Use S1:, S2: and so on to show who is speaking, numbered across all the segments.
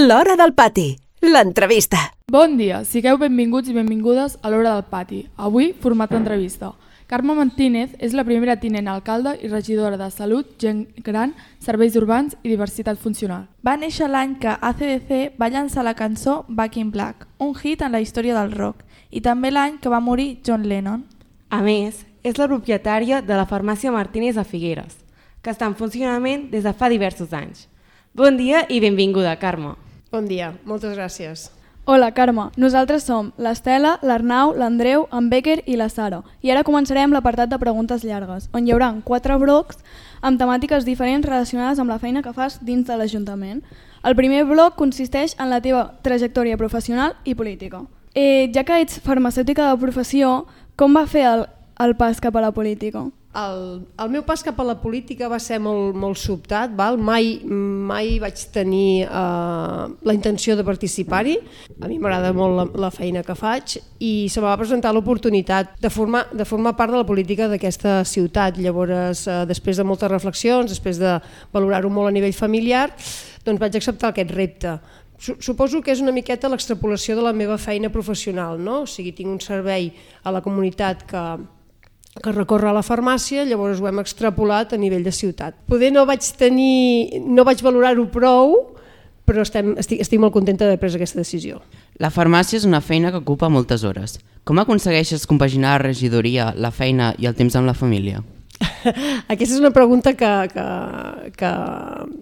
S1: L'Hora del Pati, l'entrevista.
S2: Bon dia, sigueu benvinguts i benvingudes a l'Hora del Pati. Avui, format d'entrevista. Carme Martínez és la primera tinent alcalde i regidora de Salut, Gent Gran, Serveis Urbans i Diversitat Funcional.
S3: Va néixer l'any que AC/DC va llançar la cançó Back in Black, un hit en la història del rock, i també l'any que va morir John Lennon.
S4: A més, és la propietària de la farmàcia Martínez a Figueres, que està en funcionament des de fa diversos anys. Bon dia i benvinguda, Carme.
S5: Bon dia, moltes gràcies.
S6: Hola, Carme. Nosaltres som l'Estela, l'Arnau, l'Andreu, en Becker i la Sara. I ara començarem l'apartat de preguntes llargues, on hi haurà 4 blocs amb temàtiques diferents relacionades amb la feina que fas dins de l'Ajuntament. El primer bloc consisteix en la teva trajectòria professional i política. Ja que ets farmacèutica de professió, com va fer el pas cap a la política?
S5: El meu pas cap a la política va ser molt sobtat, val? Mai vaig tenir la intenció de participar-hi. A mi m'agrada molt la feina que faig i se me va presentar l'oportunitat de formar part de la política d'aquesta ciutat. Llavors, després de moltes reflexions, després de valorar-ho molt a nivell familiar, doncs vaig acceptar aquest repte. Suposo que és una miqueta l'extrapolació de la meva feina professional, no? O sigui, tinc un servei a la comunitat que recorre a la farmàcia, llavors ho hem extrapolat a nivell de ciutat. Poder no vaig valorar-ho prou, però estic molt contenta d'haver pres aquesta decisió.
S7: La farmàcia és una feina que ocupa moltes hores. Com aconsegueixes compaginar la regidoria, la feina i el temps amb la família?
S5: Aquesta és una pregunta que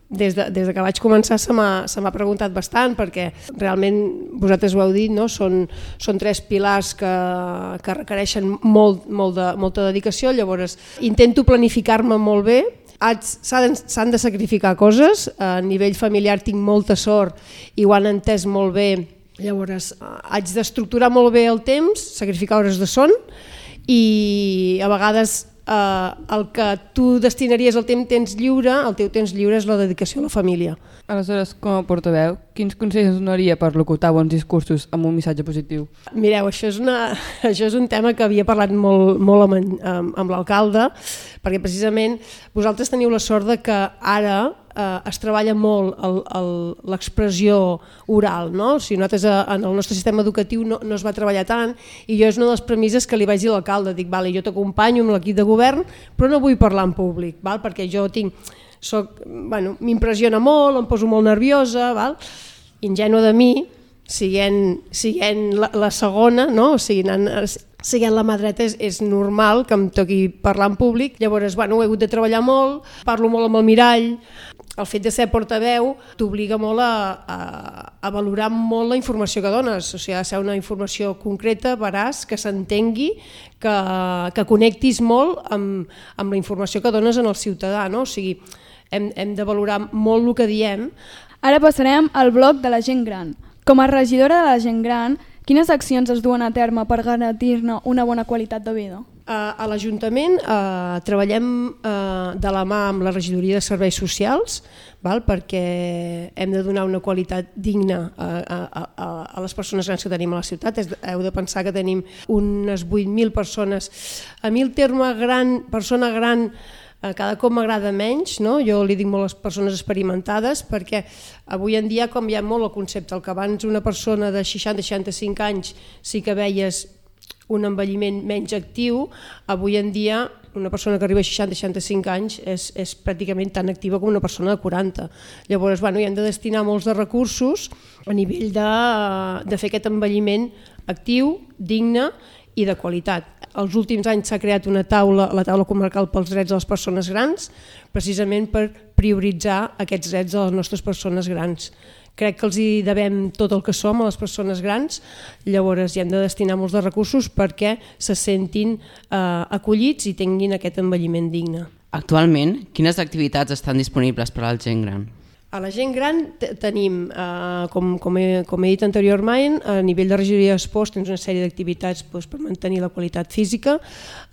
S5: des que vaig començar se m'ha preguntat bastant, perquè realment vosaltres ho heu dit, no? Són 3 pilars que requereixen molta dedicació, llavors intento planificar-me molt bé. S'han de sacrificar coses, a nivell familiar tinc molta sort i ho han entès molt bé, llavors haig d'estructurar molt bé el temps, sacrificar hores de son i a vegades el que tu destinaries al temps lliure, el teu temps lliure és la dedicació a la família.
S2: Aleshores, com a portaveu, quins consells donaria per locutar bons discursos amb un missatge positiu?
S5: Mireu, això és un tema que havia parlat molt amb l'alcalde, perquè precisament vosaltres teniu la sort de que ara es treballa molt l'expressió oral, no? O sigui, nosaltres en el nostre sistema educatiu no es va treballar tant i jo és una de les premisses que li vaig dir a l'alcalde, dic, vale, jo t'acompanyo amb l'equip de govern, però no vull parlar en públic, val? Perquè jo m'impressiona molt, em poso molt nerviosa, val? Ingènua de mi, siguent la segona, no? O sigui, siguent la mà dreta és normal que em toqui parlar en públic, llavors ho he hagut de treballar molt, parlo molt amb el mirall. El fet de ser portaveu t'obliga molt a valorar molt la informació que dones, o sigui, ha de ser una informació concreta, veraç, que s'entengui, que connectis molt amb la informació que dones al ciutadà, no? O sigui, hem de valorar molt el que diem.
S6: Ara passarem al bloc de la gent gran. Com a regidora de la gent gran, quines accions es duen a terme per garantir-ne una bona qualitat de vida?
S5: A l'Ajuntament treballem de la mà amb la regidoria de serveis socials, perquè hem de donar una qualitat digna a les persones grans que tenim a la ciutat. Heu de pensar que tenim unes 8.000 persones. A mi el terme persona gran cada cop m'agrada menys, no? Jo li dic molt a les persones experimentades, perquè avui en dia ha canviat molt el concepte. El que abans una persona de 60-65 anys sí que veies un envelliment menys actiu, avui en dia una persona que arriba a 60-65 anys és pràcticament tan activa com una persona de 40. Llavors hi hem de destinar molts de recursos a nivell de fer aquest envelliment actiu, digne i de qualitat. Els últims anys s'ha creat la taula comarcal pels drets de les persones grans, precisament per prioritzar aquests drets de les nostres persones grans. Crec que els hi devem tot el que som a les persones grans, llavors hi hem de destinar molts de recursos perquè se sentin acollits i tinguin aquest envelliment digne.
S7: Actualment, quines activitats estan disponibles per a la gent gran?
S5: A la gent gran tenim, com he dit anteriorment, a nivell de regidoria d'esports tens una sèrie d'activitats per mantenir la qualitat física.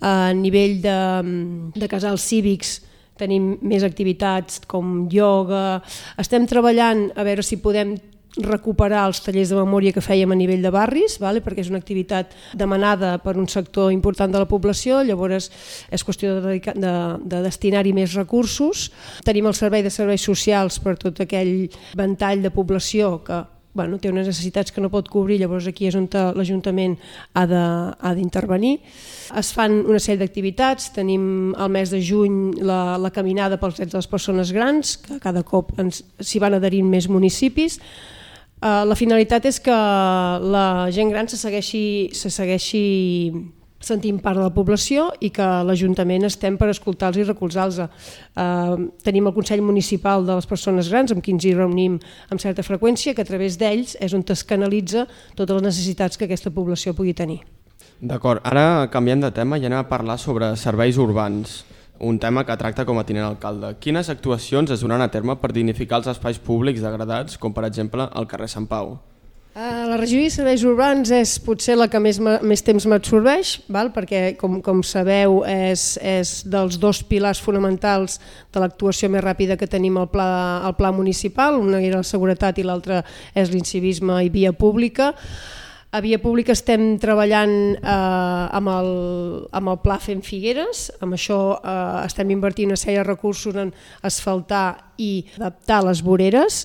S5: A nivell de casals cívics tenim més activitats com ioga. Estem treballant a veure si podem recuperar els tallers de memòria que fèiem a nivell de barris, perquè és una activitat demanada per un sector important de la població, llavors és qüestió de destinar-hi més recursos. Tenim el servei de serveis socials per tot aquell ventall de població que té unes necessitats que no pot cobrir, llavors aquí és on l'Ajuntament ha d'intervenir. Es fan una sèrie d'activitats, tenim el mes de juny la caminada pels drets de les persones grans, que cada cop s'hi van adherint més municipis. La finalitat és que la gent gran se segueixi sentint part de la població i que l'Ajuntament estem per escoltar-los i recolzar-los. Tenim el Consell Municipal de les Persones Grans, amb qui ens hi reunim amb certa freqüència, que a través d'ells és on es canalitza totes les necessitats que aquesta població pugui tenir.
S8: D'acord, ara canviem de tema i anem a parlar sobre serveis urbans, un tema que tracta com a tinent alcalde. Quines actuacions es duran a terme per dignificar els espais públics degradats, com per exemple el carrer Sant Pau?
S5: La regidoria de serveis urbans és potser la que més temps m'absorbeix, perquè com sabeu és dels dos pilars fonamentals de l'actuació més ràpida que tenim al pla municipal, una era la seguretat i l'altra és l'incivisme i via pública. A Via Pública estem treballant amb el Pla Fem Figueres, amb això estem invertint una sèrie de recursos en asfaltar i adaptar les voreres.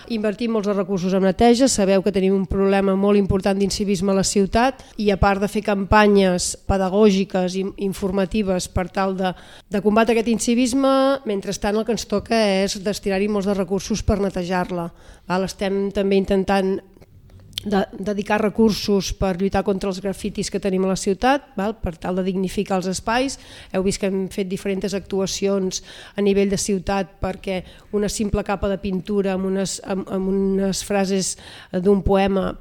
S5: Invertim molts recursos en neteja, sabeu que tenim un problema molt important d'incivisme a la ciutat i a part de fer campanyes pedagògiques i informatives per tal de combatre aquest incivisme, mentrestant el que ens toca és destinar-hi molts de recursos per netejar-la. Estem també intentant dedicar recursos per lluitar contra els grafitis que tenim a la ciutat, per tal de dignificar els espais. Heu vist que hem fet diferents actuacions a nivell de ciutat perquè una simple capa de pintura amb unes frases d'un poema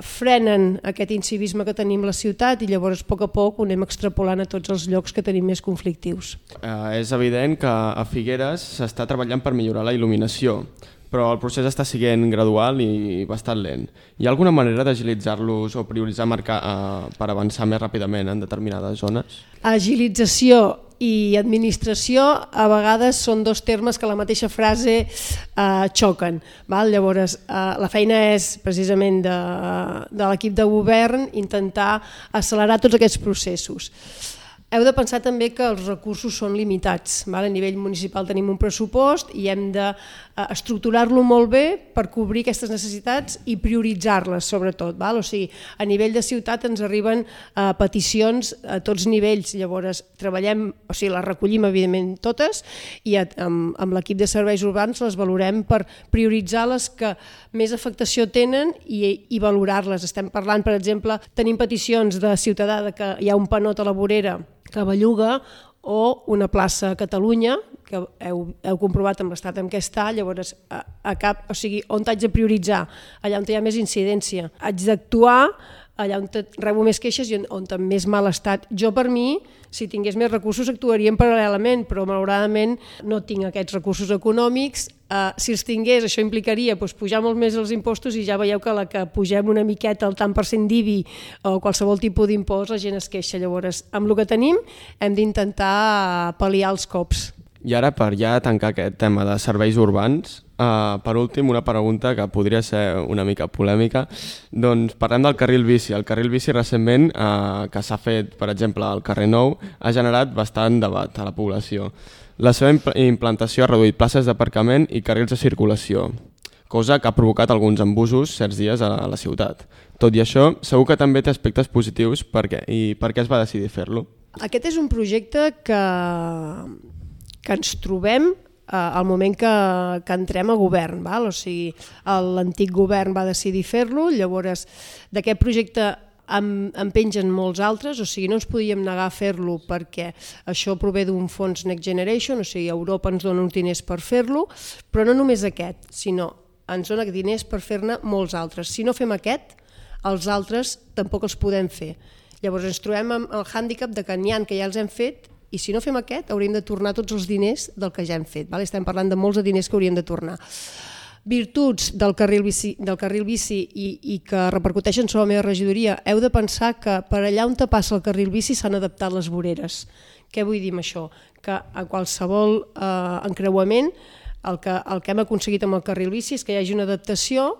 S5: frenen aquest incivisme que tenim a la ciutat i llavors a poc ho anem extrapolant a tots els llocs que tenim més conflictius.
S8: És evident que a Figueres s'està treballant per millorar la il·luminació, però el procés està sent gradual i bastant lent. Hi ha alguna manera d'agilitzar-los o prioritzar per avançar més ràpidament en determinades zones?
S5: Agilització i administració a vegades són dos termes que a la mateixa frase xoquen. Llavors, la feina és precisament de l'equip de govern intentar accelerar tots aquests processos. Heu de pensar també que els recursos són limitats. A nivell municipal tenim un pressupost i hem d'estructurar-lo molt bé per cobrir aquestes necessitats i prioritzar-les sobretot. O sigui, a nivell de ciutat ens arriben peticions a tots nivells, llavors les recollim evidentment totes i amb l'equip de serveis urbans les valorem per prioritzar les que més afectació tenen i valorar-les. Estem parlant, per exemple, tenim peticions de ciutadà que hi ha un panot a la vorera que belluga o una plaça a Catalunya, que heu comprovat amb l'estat en què està, llavors on haig de prioritzar? Allà on hi ha més incidència. Haig d'actuar allà on rebo més queixes i on té més mal estat. Jo, per mi, si tingués més recursos actuaríem paral·lelament, però malauradament no tinc aquests recursos econòmics. Si els tingués, això implicaria pujar molt més els impostos i ja veieu que la que pugem una miqueta el tant per cent d'IBI o qualsevol tipus d'impost, la gent es queixa. Llavors, amb el que tenim hem d'intentar pal·liar els cops.
S8: I ara, per ja tancar aquest tema de serveis urbans, per últim, una pregunta que podria ser una mica polèmica. Doncs parlem del carril bici. El carril bici recentment, que s'ha fet, per exemple, al carrer Nou, ha generat bastant debat a la població. La seva implantació ha reduït places d'aparcament i carrils de circulació, cosa que ha provocat alguns embussos certs dies a la ciutat. Tot i això, segur que també té aspectes positius. Per què? I per què es va decidir fer-lo?
S5: Aquest és un projecte que ens trobem al moment que entrem a govern. O sigui, l'antic govern va decidir fer-lo, llavors d'aquest projecte en pengen molts altres, o sigui, no ens podíem negar a fer-lo perquè això prové d'un fons Next Generation, o sigui, Europa ens dona uns diners per fer-lo, però no només aquest, sinó ens dona diners per fer-ne molts altres. Si no fem aquest, els altres tampoc els podem fer. Llavors ens trobem amb el hàndicap de que n'hi ha que ja els hem fet i si no fem aquest hauríem de tornar tots els diners del que ja hem fet. Estem parlant de molts de diners que hauríem de tornar. Virtuts del carril bici i que repercuteixen sobre la meva regidoria. Heu de pensar que per allà on passa el carril bici s'han adaptat les voreres. Què vull dir amb això? Que a qualsevol encreuament el que hem aconseguit amb el carril bici és que hi hagi una adaptació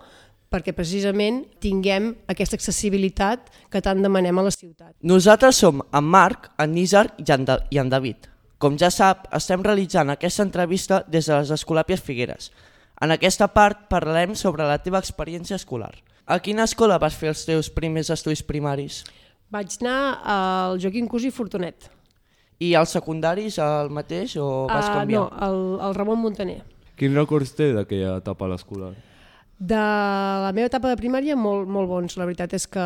S5: perquè precisament tinguem aquesta accessibilitat que tant demanem a la ciutat.
S9: Nosaltres som en Marc, en Nízar i en David. Com ja sap, estem realitzant aquesta entrevista des de les Escolàpies Figueres. En aquesta part parlarem sobre la teva experiència escolar. A quina escola vas fer els teus primers estudis primaris?
S5: Vaig anar al Joaquim Cusí Fortunet.
S9: I als secundaris el mateix o vas canviar?
S5: No, el Ramon Montaner.
S10: Quins records té d'aquella etapa a l'escolar?
S5: De la meva etapa de primària molt bons. La veritat és que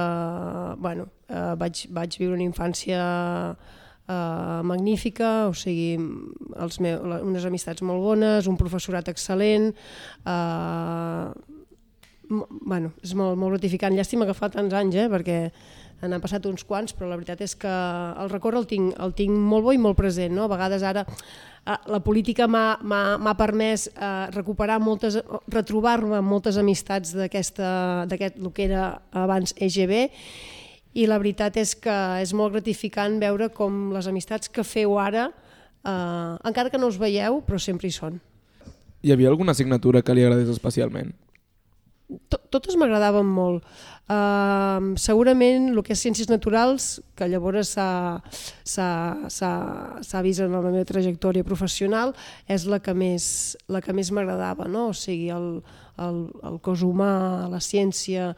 S5: vaig viure una infància magnífica, o sigui, unes amistats molt bones, un professorat excel·lent, és molt gratificant. Llàstima que fa tants anys, perquè n'han passat uns quants, però la veritat és que el record el tinc molt bo i molt present. A vegades ara la política m'ha permès retrobar-me amb moltes amistats d'aquest el que era abans EGB, i la veritat és que és molt gratificant veure com les amistats que feu ara, encara que no us veieu, però sempre hi són.
S10: Hi havia alguna assignatura que li agradés especialment?
S5: Totes m'agradaven molt. Segurament el que és ciències naturals, que llavors s'ha vist en la meva trajectòria professional, és la que més m'agradava, no? O sigui, el cos humà, la ciència,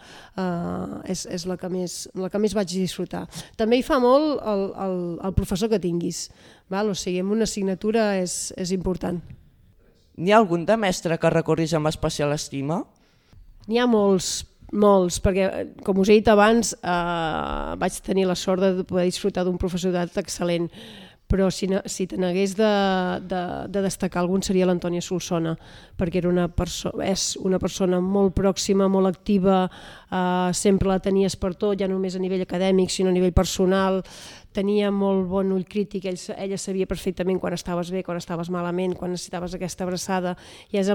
S5: és la que més vaig disfrutar. També hi fa molt el professor que tinguis, o sigui, en una assignatura és important.
S9: N'hi ha algun de mestre que recorris amb especial estima?
S5: N'hi ha molts, perquè, com us he dit abans, vaig tenir la sort de poder disfrutar d'un professorat excel·lent, però si te n'hagués de destacar algun seria l'Antònia Solsona, perquè és una persona molt pròxima, molt activa, sempre la tenies per tot, ja no només a nivell acadèmic, sinó a nivell personal, tenia molt bon ull crític, ella sabia perfectament quan estaves bé, quan estaves malament, quan necessitaves aquesta abraçada, i és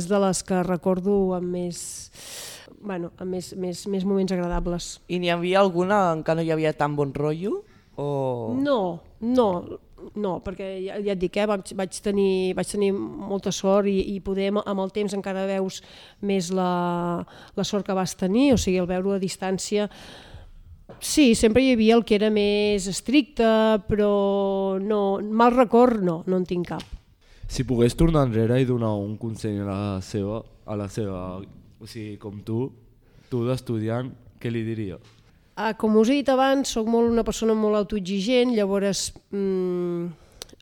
S5: de les que recordo amb més moments agradables.
S9: I n'hi havia alguna en què no hi havia tan bon rotllo?
S5: No, perquè ja et dic, vaig tenir molta sort i poder amb el temps encara veus més la sort que vas tenir, o sigui, el veure a distància. Sí, sempre hi havia el que era més estricte, però mal record no en tinc cap.
S10: Si pogués tornar enrere i donar un consell a la seva, o sigui, com tu d'estudiant, què li diria?
S5: Com us he dit abans, soc una persona molt autoexigent, llavors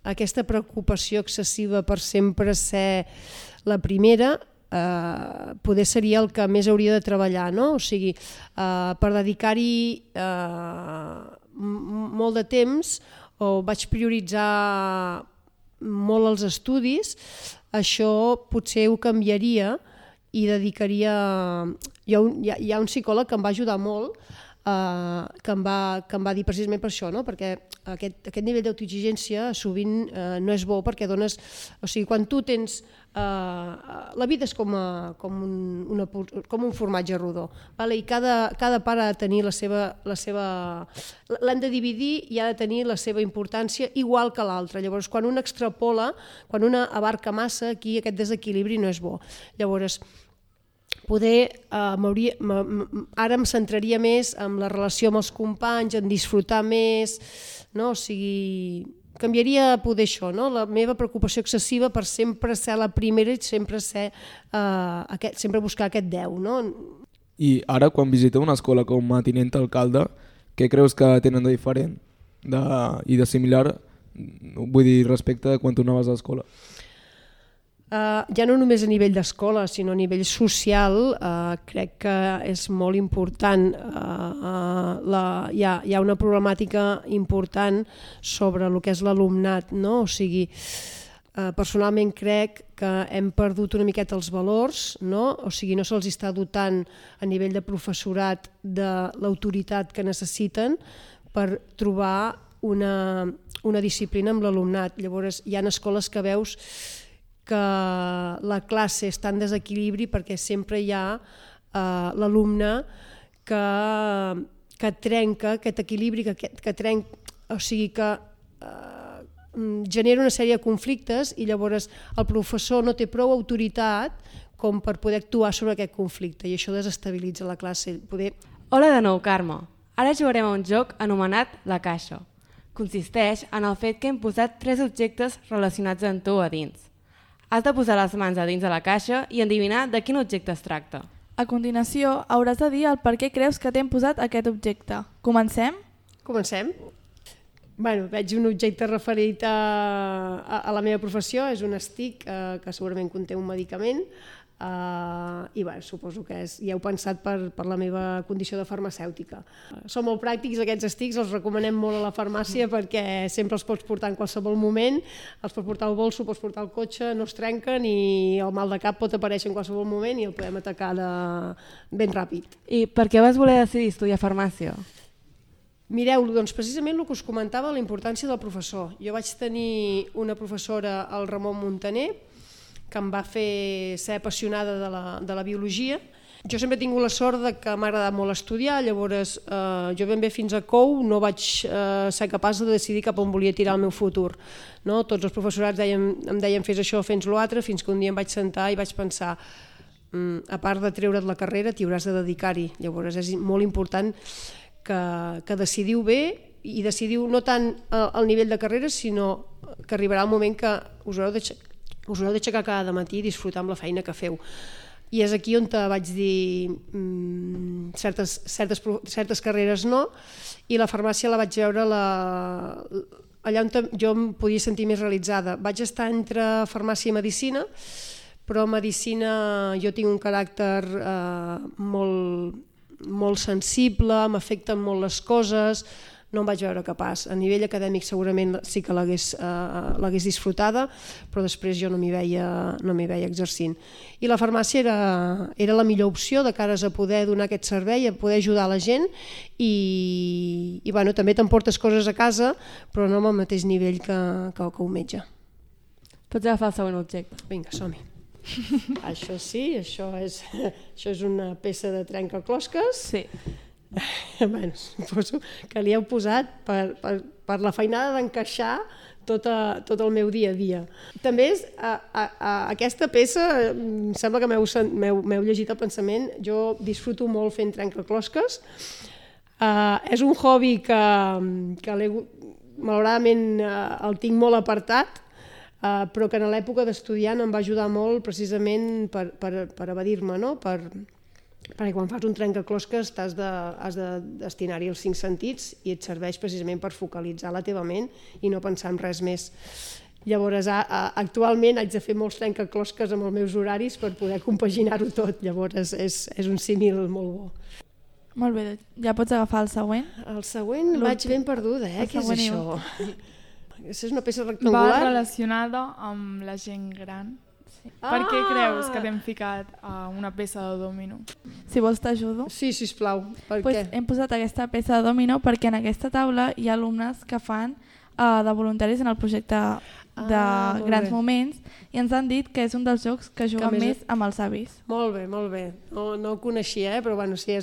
S5: aquesta preocupació excessiva per sempre ser la primera poder seria el que més hauria de treballar, no? O sigui, per dedicar-hi molt de temps, vaig prioritzar molt els estudis, això potser ho canviaria i dedicaria... Hi ha un psicòleg que em va ajudar molt, que em va dir precisament per això, no? Perquè aquest nivell d'autoexigència sovint no és bo, perquè dones... O sigui, quan tu tens... La vida és com un formatge rodó, i cada part ha de tenir la seva... L'hem de dividir i ha de tenir la seva importància igual que l'altra. Llavors, quan una extrapola, quan una abarca massa, aquí aquest desequilibri no és bo. Llavors, ara em centraria més en la relació amb els companys, en disfrutar més, no? O sigui, canviaria poder això, no? La meva preocupació excessiva per sempre ser la primera i sempre buscar aquest 10, no?
S10: I ara, quan visiteu una escola com a tinent alcalde, què creus que tenen de diferent i de similar, vull dir, respecte a quan tu anaves a l'escola?
S5: Ja no només a nivell d'escola, sinó a nivell social, crec que és molt important. Hi ha una problemàtica important sobre el que és l'alumnat, no? O sigui, personalment crec que hem perdut una miqueta els valors, no? O sigui, no se'ls està dotant a nivell de professorat de l'autoritat que necessiten per trobar una disciplina amb l'alumnat. Llavors, hi ha escoles que veus que la classe està en desequilibri perquè sempre hi ha l'alumne que trenca aquest equilibri, o sigui que genera una sèrie de conflictes i llavors el professor no té prou autoritat com per poder actuar sobre aquest conflicte i això desestabilitza la classe.
S4: Hola de nou, Carme. Ara jugarem a un joc anomenat La Caixa. Consisteix en el fet que hem posat 3 objectes relacionats amb tu a dins. Has de posar les mans a dins de la caixa i endevinar de quin objecte es tracta.
S3: A continuació, hauràs de dir el per què creus que t'hem posat aquest objecte. Comencem?
S5: Comencem? Veig un objecte referit a la meva professió, és un stick que segurament conté un medicament i suposo que ja heu pensat per la meva condició de farmacèutica. Són molt pràctics aquests sticks, els recomanem molt a la farmàcia perquè sempre els pots portar en qualsevol moment, els pots portar al bolso, pots portar al cotxe, no es trenquen i el mal de cap pot aparèixer en qualsevol moment i el podem atacar ben ràpid.
S4: I per què vas voler decidir estudiar farmàcia?
S5: Mireu, doncs precisament el que us comentava, la importància del professor. Jo vaig tenir una professora, el Ramon Montaner, que em va fer ser apassionada de la biologia. Jo sempre he tingut la sort que m'ha agradat molt estudiar, llavors jo ben bé fins a COU no vaig ser capaç de decidir cap on volia tirar el meu futur. Tots els professorats em deien fes això, fes l'altre, fins que un dia em vaig sentar i vaig pensar a part de treure't la carrera t'hi hauràs de dedicar-hi. Llavors és molt important que decidiu bé i decidiu no tant el nivell de carrera sinó que arribarà el moment que us haureu d'aixecar cada matí i disfrutar amb la feina que feu. I és aquí on vaig dir certes carreres no i la farmàcia la vaig veure allà on jo em podia sentir més realitzada. Vaig estar entre farmàcia i medicina, però a medicina jo tinc un caràcter molt sensible, m'afecten molt les coses, no em vaig veure capaç. A nivell acadèmic segurament sí que l'hagués disfrutada, però després jo no m'hi veia exercint. I la farmàcia era la millor opció de cares a poder donar aquest servei, a poder ajudar la gent i també t'emportes coses a casa, però no amb el mateix nivell que un metge.
S4: Pots agafar el següent objecte.
S5: Vinga, som-hi. Això sí, això és una peça de trencaclosques.
S3: Sí.
S5: Suposo que li heu posat per la feinada d'encaixar tot el meu dia a dia. També aquesta peça, em sembla que m'heu llegit el pensament, jo disfruto molt fent trencaclosques. És un hobby que malauradament el tinc molt apartat, però que en l'època d'estudiant em va ajudar molt precisament per evadir-me, perquè quan fas un trencaclosques has de destinar-hi els 5 sentits i et serveix precisament per focalitzar la teva ment i no pensar en res més. Llavors actualment haig de fer molts trencaclosques amb els meus horaris per poder compaginar-ho tot, llavors és un símil molt bo.
S3: Molt bé, ja pots agafar el següent?
S5: El següent vaig ben perduda, què és això? És una peça rectangular.
S2: Va relacionada amb la gent gran. Sí. Per què creus que t'hem ficat una peça de dòmino?
S3: Si vols t'ajudo.
S5: Sí, sisplau. Per què?
S3: Hem posat aquesta peça de dòmino perquè en aquesta taula hi ha alumnes que fan de voluntaris en el projecte de Grans Moments i ens han dit que és un dels jocs que juguen més amb els avis.
S5: Molt bé, molt bé. No ho coneixia, però bueno, sí,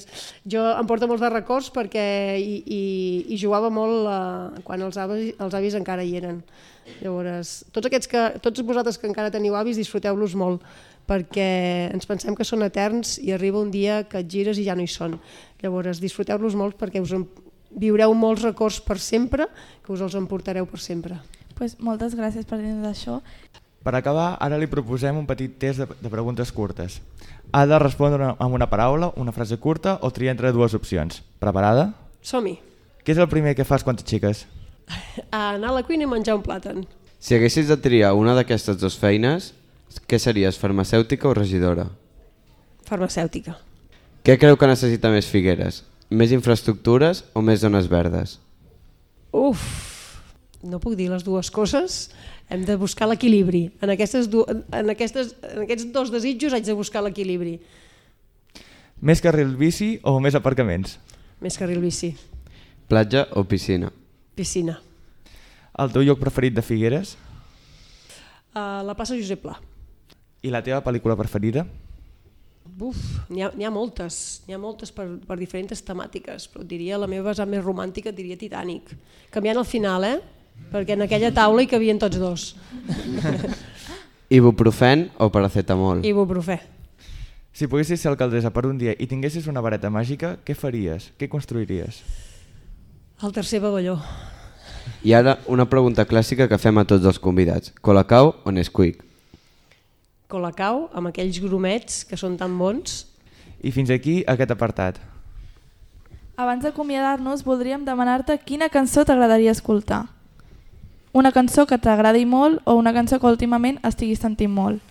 S5: jo em porta molts de records perquè hi jugava molt quan els avis encara hi eren. Llavors, tots vosaltres que encara teniu avis, disfruteu-los molt perquè ens pensem que són eterns i arriba un dia que et gires i ja no hi són. Llavors, disfruteu-los molt perquè us viureu molts records per sempre, que us els emportareu per sempre.
S3: Moltes gràcies per dir-nos això.
S11: Per acabar, ara li proposem un petit test de preguntes curtes. Ha de respondre amb una paraula, una frase curta o triar entre 2 opcions. Preparada?
S5: Som-hi.
S11: Què és el primer que fas quan t'aixeques?
S5: Anar a la cuina i menjar un plàtan.
S12: Si haguessis de triar una d'aquestes 2 feines, què series, farmacèutica o regidora?
S5: Farmacèutica.
S12: Què creu que necessita més Figueres? Més infraestructures o més zones verdes?
S5: No puc dir les dues coses. Hem de buscar l'equilibri. En aquests 2 desitjos haig de buscar l'equilibri.
S11: Més carril bici o més aparcaments?
S5: Més carril bici.
S12: Platja o piscina?
S5: Piscina.
S11: El teu lloc preferit de Figueres?
S5: La plaça Josep Pla.
S11: I la teva pel·lícula preferida?
S5: N'hi ha moltes per diferents temàtiques, però diria la meva vessant més romàntica, diria Titanic. Canviant el final, perquè en aquella taula hi cabien tots dos.
S12: Ibuprofen o paracetamol?
S5: Ibuprofè.
S11: Si poguessis ser alcaldessa per un dia i tinguessis una vareta màgica, què faries? Què construiries?
S5: El tercer pavelló.
S12: I ara una pregunta clàssica que fem a tots els convidats. Colacao o Nesquik?
S5: Colacao, amb aquells grumets que són tan bons.
S11: I fins aquí aquest apartat.
S3: Abans d'acomiadar-nos, voldríem demanar-te quina cançó t'agradaria escoltar. Una cançó que t'agradi molt o una cançó que últimament estiguis sentint molt.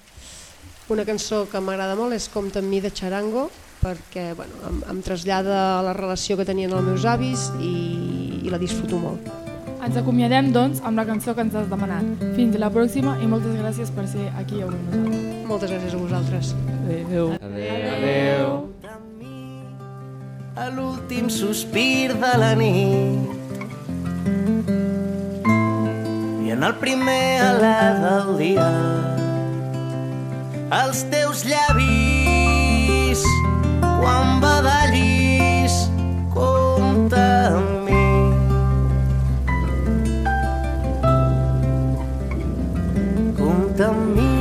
S5: Una cançó que m'agrada molt és Compta amb mi de Charango, perquè em trasllada a la relació que tenien els meus avis i la disfruto molt.
S2: Ens acomiadem, doncs, amb la cançó que ens has demanat. Fins la pròxima i moltes gràcies per ser aquí avui amb nosaltres.
S5: Moltes gràcies a vosaltres.
S2: Adéu.
S11: Adéu.
S13: A l'últim sospir de la nit i en el primer alè del dia els teus llavis quan badallis compta amb mi. Compta amb mi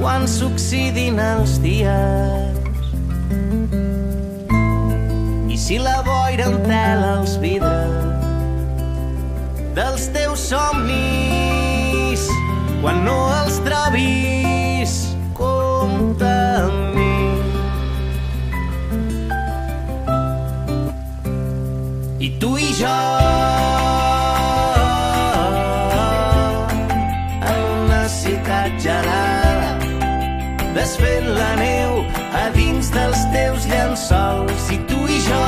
S13: quan s'oxidin els dies i si la boira entela els vidres dels teus somnis quan no els trobis compta amb mi. I tu i jo en una ciutat gelada desfent la neu a dins dels teus llençols. I tu i jo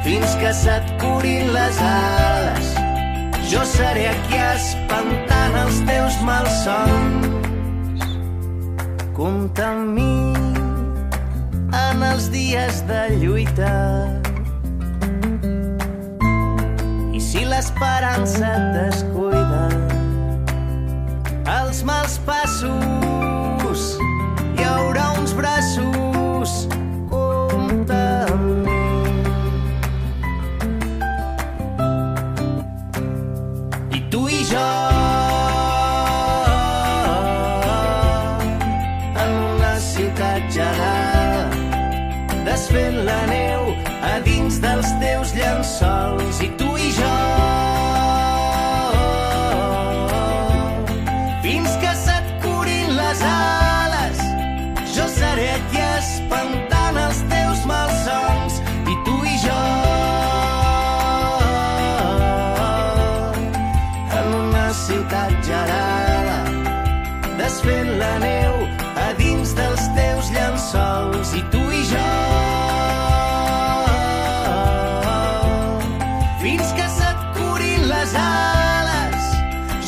S13: fins que se't curin les ales jo seré aquí espantant els teus malsons. Compta amb mi en els dies de lluita i si l'esperança et descuida els mals passos hi haurà uns braços. Compta amb mi. I tu i jo en una ciutat gelada desfent la neu a dins dels teus llençols. I tu i jo fins que se't curin les ales jo seré aquí espantant els teus malsons. I tu i jo en una ciutat gelada desfent la neu a dins dels teus llençols. I tu i jo fins que se't curin les ales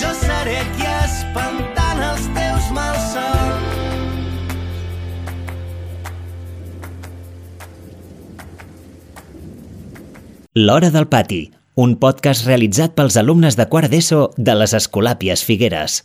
S13: jo seré aquí espantant els teus malsons.
S14: L'Hora del Pati, un podcast realitzat pels alumnes de quart d'ESO de les Escolàpies Figueres.